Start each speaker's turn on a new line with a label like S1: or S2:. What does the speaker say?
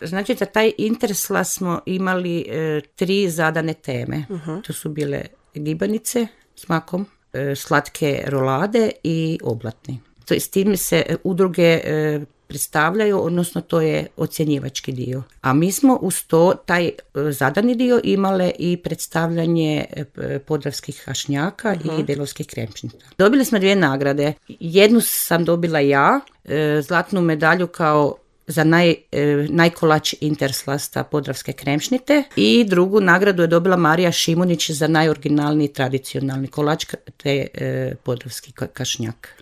S1: Znači za taj Interslas smo imali 3 zadane teme. To su bile gibanice s makom, slatke rolade i oblatni. S tim se udruge predstavljaju, odnosno to je ocjenjivački dio. A mi smo uz to, taj zadani dio, imale i predstavljanje podravskih hašnjaka i belovskih kremšnita. Dobili smo 2 nagrade. Jednu sam dobila ja, zlatnu medalju kao za najkolač Interslasta podravske kremšnite, i drugu nagradu je dobila Marija Šimunić za najoriginalniji tradicionalni kolač te podravski kašnjak.